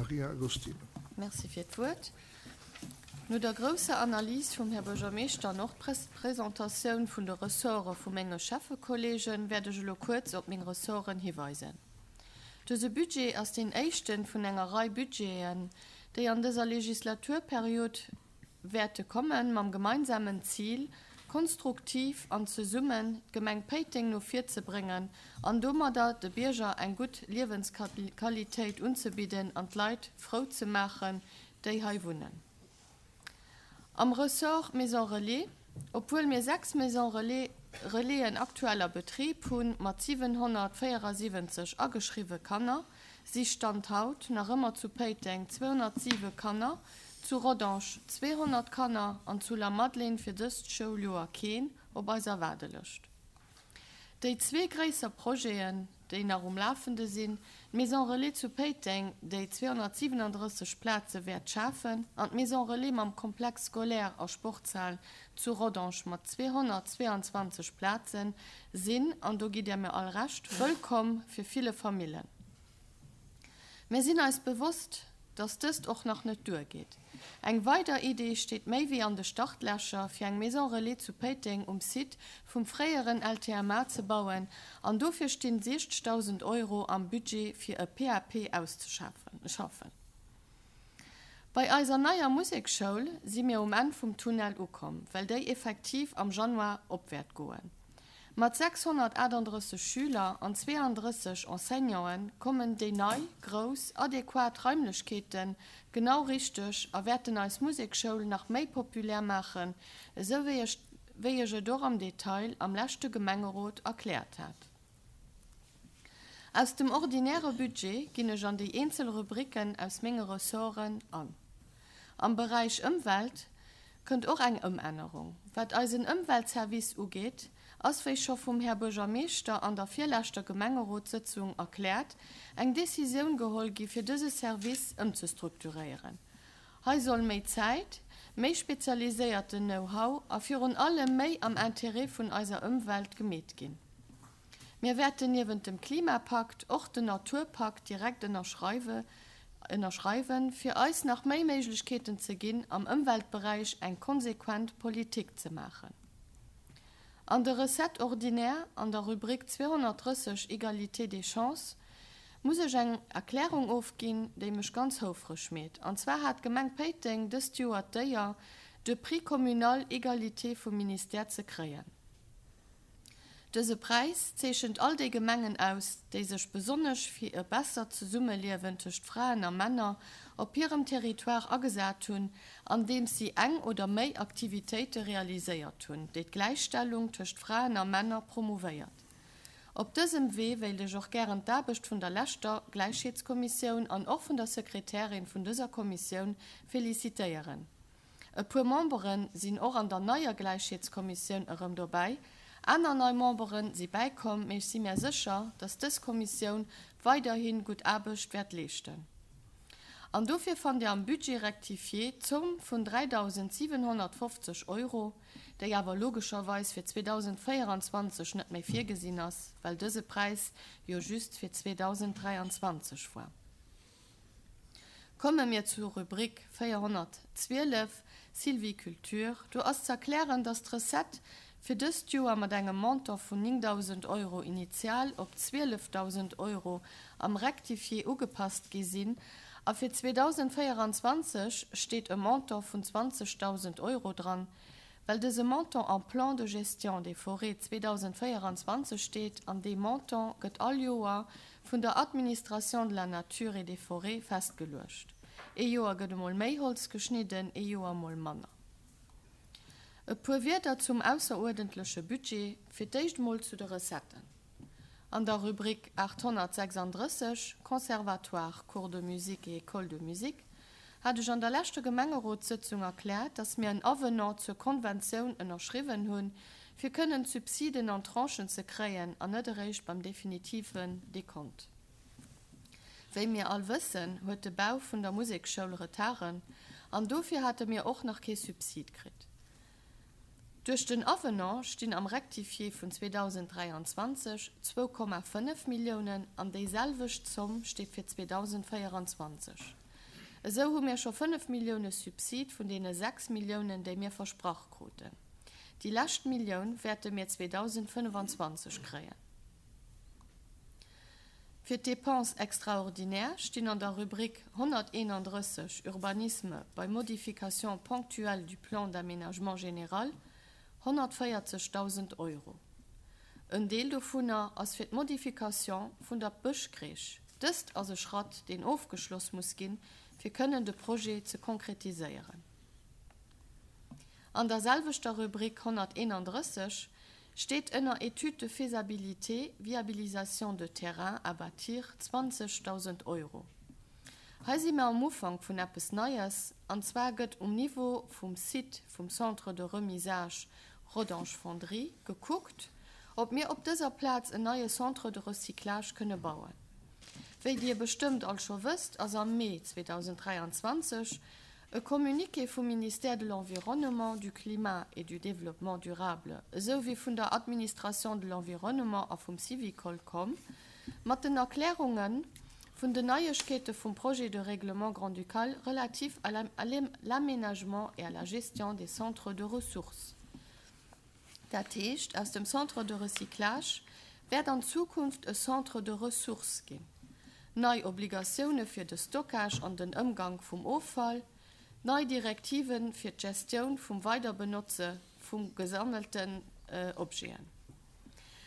Maria Agostino. Merci fir d'Wuert. No der grousser Analys vum Här Buergermeeschter an och d'Presentatioun vun de Ressorte vu menge Schäffekollegen, wäert ech elo kuerz op meng Ressorten hiweisen. Dëse Budget ass deen éischten vun enger Rei Budgeten, déi an dëser Legislaturperiod wäerte kommen, mam gemeinsamen Zil, konstruktiv an zesummen d'Gemeng Péiteng no vir ze bréngen an domadder de Bierger eng gutt Liewensqualitéit unzebidden an d'Leit frou ze maachen, déi hei wunnen. Am Ressort Maison Relais, obwuel mir 6 Maison Relais Relaisen aktuell a Betrib hu mat 774 ageschriwwe Kanner, si Stand haut nach ëmmer zu Péiteng 207 Kanner, zu Rodange 200 Kanner an zu Lamadelaine fir dëst Schouljoer keen op eiser Waardelëscht. Déi zwee gréisser Projeten, déi nach um Lafende sinn, d'Maison Relais zu Péiteng, déi 237 Plaze wäert schafen, an d'Maison Relais mam Complexe scolaire a Sportshal zu Rodange mat 222 Plazen, sinn, an do gitt Dir mir all Recht, wëllkomm fir ville Famillen. Mir sinn eis bewosst, dass dëst och nach net duergeet. Eng weider Idee steet méi wéi an de Startlächer, fir eng Maison Relais zu Péiteng um Site vum fréieren LTMA ze bauen an dofir stinn 60.000 Euro am Budget fir e PAP auszeschaffen. Bei eiser neier Musekschoul si mir um Enn vum Tunnel ukomm, well déi effektiv am Januar op wäert goen. Mat 638 Schüler an 32 Enseignanten kommen déi nei, grouss, adequat Raimlechkeete genau richteg a wäerten eis Musekschoul nach méi populär maachen, esou wéi ech wéi ech et och am Detail am leschte Gemengerot erkläert hat. Aus dem ordinäre Budget ginn ech an déi eenzel Rubriken aus menge Ressorten an. Am Beräich Ëmwelt kënnt och eng Ëmännerung. Wat eisen Ëmweltservice ugeet, ass, wéi scho vum Här Buergermeeschter an der virleschter Gemengerotssëtzung erkläert, eng Decisioun geholl gi fir dëse Service ëmzestrukturéieren. Hei soll méi Zäit, méi spezialiséierten Know-how a virun allem méi am Intérêt vun eiser Ëmwelt gemeet ginn. Mir wäerten niewent dem Klimapakt och den Naturpakt direkt ënnerschreiwen, fir eis nach méi Méiglechkeeten ze ginn, am Ëmweltberäich eng konsequent Politik ze maachen. An de Recettes ordinaires an der Rubrik 230 Égalité des chances muss ech eng Erklärung ofginn, déi mech ganz houfreg meet. An zwar hat d'Gemeng Péiteng dëst Joer d'Éier, de Prix communal Égalité vum Ministère ze kréien. Dëse Präis zeechent all déi Gemengen aus, déi sech besonnesch fir e bessert Zesummeliewen tëscht Fraen a Männer op hirem Territoire agesat hunn, andeems si eng oder méi Aktivitéite realiséiert hunn, déi d'Gläichstellung tëscht Fraen a Männer promouvéiert. Op dësem Wee wéilt ech och gären d'Aarbecht vun der leschter Gläichheetskommissioun an och vun der Sekretärin vun dëser Kommissioun felicitéieren. E puer Membere sinn och an der neier Gläichheetskommissioun erëm dobäi, aner nei Membere si bäikomm, mee ech si mär sécher, dass dës Kommissioun weiderhi gutt Aarbecht wäert leeschten. An dofir fannt Dir am Budget rectifié d'Zomm vun 3.750 Euro, déi awer logescherweis fir 2024 net méi virgesinn ass, well dëse Präis jo just fir 2023 war. Komme mir zur Rubrik 412, Sylviculture. Do ass z'erklären, dass d'Recette fir dëst Joer mat engem Montant vun 9.000 Euro initial op 12.000 Euro am Rectifié ugepasst gi sinn a fir 2024 steet e Montant vun 20.000 Euro dran, well dëse Montant am Plan de gestion des forêts 2024 steet an dee Montant gëtt all Joer vun der Administration de la nature et des forêts festgeluecht. Ee Joer gëtt emol méi Holz geschnidden, ee Joer emol manner. E puer Wierder zum ausseruerdentleche Budget, fir d'éischt emol zu de Recetten. An der Rubrik 836, Conservatoire, Cours de musique et École de musique, hat ech an der leschter Gemengerotssëtzung erkläert, dass mir en Avenant zur Konventioun ënnerschriwwen hunn, fir kënnen d'Subsiden an Tranchen ze kréien an net eréischt beim definitiven Dekont. Wéi mir all wëssen, huet de Bau vun der Musekschoul Retarden an dofir hate mir och nach kee Subsid kritt. Duerch den Avenant stinn am Rectifié vun 2023 2,5 Milliounen an déiselwecht Zomm steet fir 2024. Esou hu mir scho 5 Millioune Subsid vun deene 6 Milliounen, déi mir versprach kruten. Déi lescht Millioun wäerte mir 2025 kréien. Fir d'Dépenses extraordinaires stinn an der Rubrik 131 Urbanisme bei Modification ponctuelle du plan d'aménagement général 140.000 Euro. En Deel dovunner ass fir d'Modification vun der Bëschcrèche. Dëst ass e Schratt, deen ofgeschloss muss ginn, fir kënnen de Projet ze konkretiséieren. An der selwechter Rubrik 131 steet ënner Étude de faisabilité, viabilisation de terrain à bâtir 20.000 Euro. Hei si mer am Ufank vun eppes Neies, an zwar gëtt um Niveau vum Site vum Centre de remisage Rodange Fonderie gekuckt, ob mir op dëser Plaz en neie Centre de recyclage kënne bauen. Wéi Dir bestëmmt all scho wësst, ass am Mee 2023 e Communiqué vum Ministère de l'Environnement, du Climat et du Développement durable esou wéi vun der Administration de l'Environnement a vum Syvicol komm mat den Erklärunge vun den Neiegkeete vum Projet de règlement grand-ducal relatif à l'aménagement et à la gestion des centres de ressources. Dat heescht, aus dem Centre de recyclage wäert an Zukunft e Centre de ressources ginn. Nei Obligatioune fir de Stockage an den Ëmgank vum Offall, nei Direktive fir d'Gestioun vum Weiderbenotze vu gesammelten Objeten.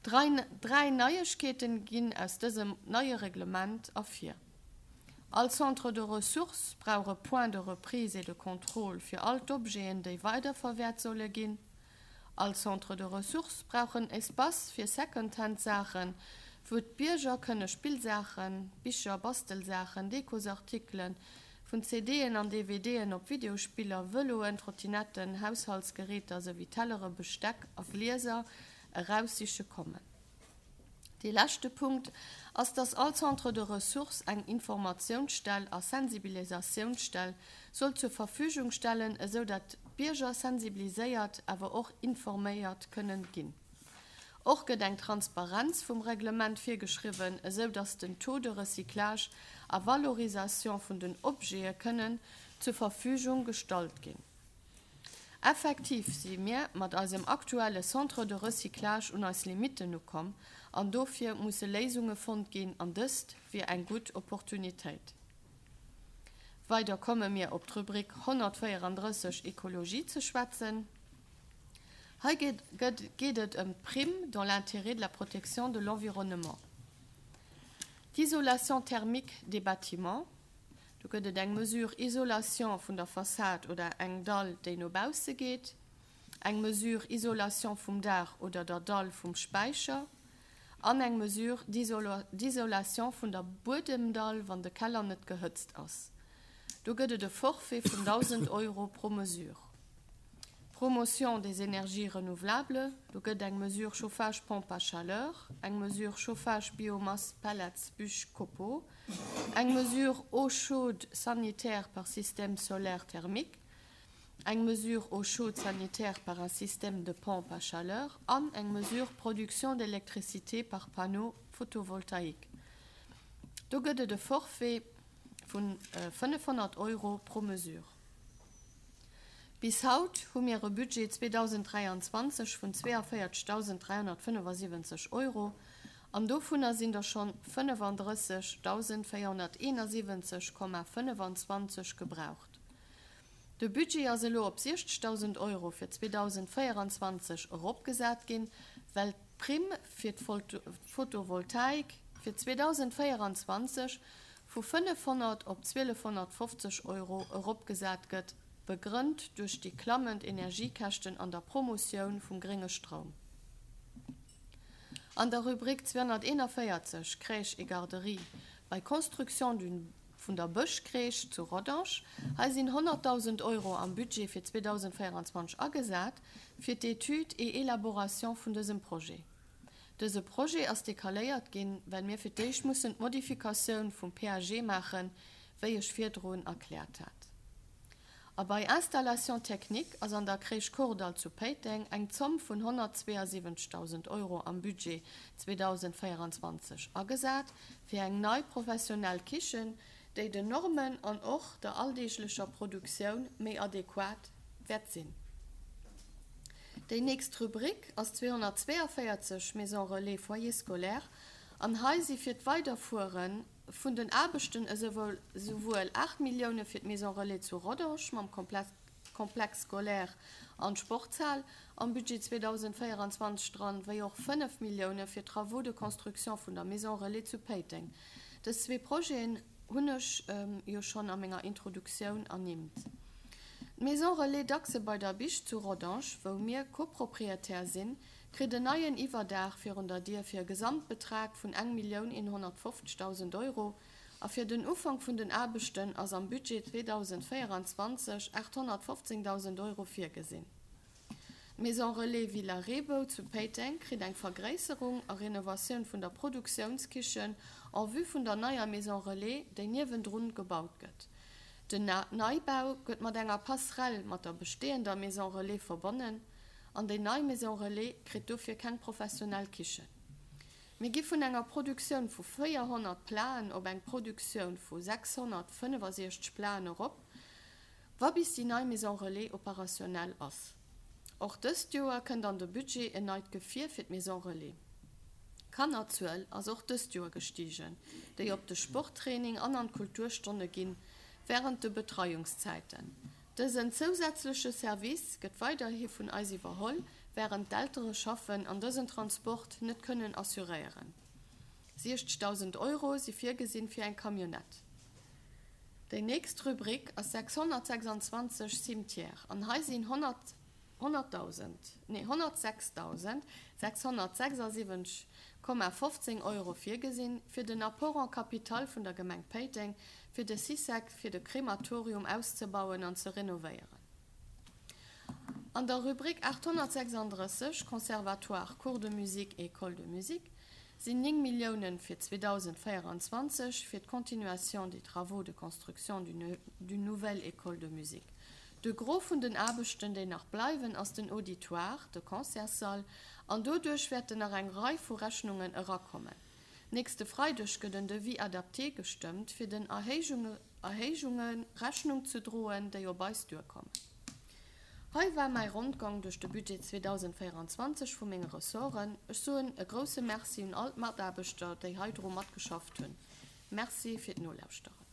Dräi Neiegkeete ginn aus dësem neie Reglement ervir. All Centre de ressources brauch e Point de reprise et de contrôle fir all d'Objeten, déi weiderverwäert solle ginn. All Centre de ressources brauch en Espace fir Secondhand-Saachen, wou d'Bierger kënne Spillsaachen, Bicher, Bastelsaachen, Dekosartikelen, vun CDen an DVDen op Videospiller, Vëloen, Trottinetten, Haushaltsgeräter souwéi Tellere, Besteck a Glieser eraussiche kommen. Dee leschte Punkt ass, dass all Centre de ressources eng Informatiounsstell a Sensibilisatiounsstell soll zur Verfügung stellen, esou dat d'Bierger sensibiliséiert, awer och informéiert kënnen ginn. Och gëtt eng Transparenz vum Reglement virgeschriwwen, esou dass den Taux de recyclage a Valorisation vun den Objete kënnen zur Verfügung gestallt ginn. Effektiv si mir mat eisem aktuelle Centre de recyclage un eis Limitten ukomm an dofir musse Léisunge fonnt ginn an dëst wier eng gutt Opportunitéit. Weider komme mir op d'Rubrik 134 Ekologie ze schwätzen. Hei geet et ëm d'Prime dans l'intérêt de la protection de l'environnement, d'isolation thermique des bâtiments, Do gëtt et eng Mesure Isolation vun der Fassad oder eng Dall, déi no bausse geet, eng Mesure Isolation vum Daach oder der Dall vum Späicher an eng Mesure d'isolation vun der Buedemdall, wann de Keller net gehëtzt ass. Do gëtt et e Forfait vun 1.000 Euro pro Mesure. Promotion des énergies renouvelables, do gëtt eng Mesure Chauffage pompe à chaleur, eng Mesure Chauffage biomasse pellets bûches copeaux, eng Mesure eau chaude sanitaire par système solaire thermique, eng Mesure eau chaude sanitaire par un système de pompe à chaleur an eng Mesure production d'électricité par panneaux photovoltaïques. Do gëtt et e Forfait vu 500 Euro pro Mesure. Bis haut hu mir e Budget 2023 vun 42.375 Euro an dovunner sinn der schonn 35.471,25 gebraucht. De Budget ass elo op 60.000 Euro fir 2024 eropgesat ginn, well d'Primm fir d'Photovoltaik fir 2024 vu 500 op 1.250 Euro eropgesat gëtt, begrënnt duerch déi klammend Energiekäschten an der Promotioun vum grénge Stroum. An der Rubrik 241, Crèche et garderie, bei Construction d'une vun der Bëschcrèche zu Rodange, hei sinn 100.000 Euro am Budget fir 2024 agesat fir d'Étude et élaboration vun dësem Projet. Dëse Projet ass decaléiert ginn, well mir fir d'éischt mussen d'Modifikatioun vum PAG maachen, wéi ech virdrun erkläert hat. A bei Installations techniques ass an der Crèche Kordall zu Péiteng eng Zomm vun 172.000 Euro am Budget 2024 agesat fir eng nei professionell Kichen, déi den Normen an och der alldeeglecher Produktioun méi adequat wäert sinn. Déi nächst Rubrik ass 242, Maison relais, Foyer scolaire, an hei si fir d'Weiderfuere vun den Aarbechten esouwuel 8 Millioune fir d'Maison relais zu Rodange mam Complexe scolaire an d'Sportshal am Budget 2024 dran, wéi och 5 Millioune fir d'Travaux de construction vun der Maison relais zu Péiteng. Dës zwee Projeten hunn ech jo schonn a menger Introduktioun ernimmt. D'Maison relais Dachse bei der Bich zu Rodange, wou mir Copropriétaire sinn, kritt en neien Iwwerdaach virun der Dier fir e Gesamtbetrag vun 1.150.000 Euro a fir den Ufank vun den Aarbechten ass am Budget 2024 815.000 Euro virgesinn. D'Maison Relais Villa Reebou zu Péiteng kritt eng Vergréisserung a Renovatioun vun der Produktiounskichen en vue vun der neier Maison Relais, déi niewendrun gebaut gëtt. Den Neibau gëtt mat enger Passerelle mat der besteeënder Maison Relais verbonnen an déi nei Maison Relais kritt dofir keng professionell Kichen. Mir gi vun enger Produktioun vu 400 Platen op eng Produktioun vu 665 Platen erop, wa bis déi nei Maison Relais operationnel ass. Och dëst Joer kënnt an de Budget en neit Gefier fir d'Maison Relais. D'Kannerzuel ass och dëst Joer gestigen, déi op de Sporttraining an an d'Kulturstonne ginn, wärend de Betreiungszäiten. Dësen zousätzleche Service gëtt weiderhi vun eis iwwerholl, wärend d'Eltere schaffen an dësen Transport net kënnen assuréieren. 60.000 Euro si virgesinn fir eng Camionnette. Déi nächst Rubrik ass 626, Cimetière, an hei sinn 100.000, nee 106.676,15 Euro virgesinn, fir den Apport en capital vun der Gemeng Péiteng fir de Cysec fir de Krematorium auszebauen an ze renovéieren. An der Rubrik 836, Conservatoire, Cours de musique et École de musique, sinn 9 Milliounen fir 2024 fir d'Continuation des travaux de construction d'une nouvelle école de musique. De Gros vun den Aarbechten, déi nach bleiwen, ass den Auditoire, de Concertssall, an doduerch wäerten nach eng Rei vu Rechnungen erakommen. Nächste Freideg gëtt en Devis adapté gestëmmt, fir den Erhéijunge Rechnung ze droen, déi op eis duerkommen. Hei war mäi Rondgang duerch de Budget 2024 vu menge Ressorten. Ech soen e grousse Merci un all d'Mataarbechter, déi heidru matgeschafft hunn. Merci fir d'Nolauschteren.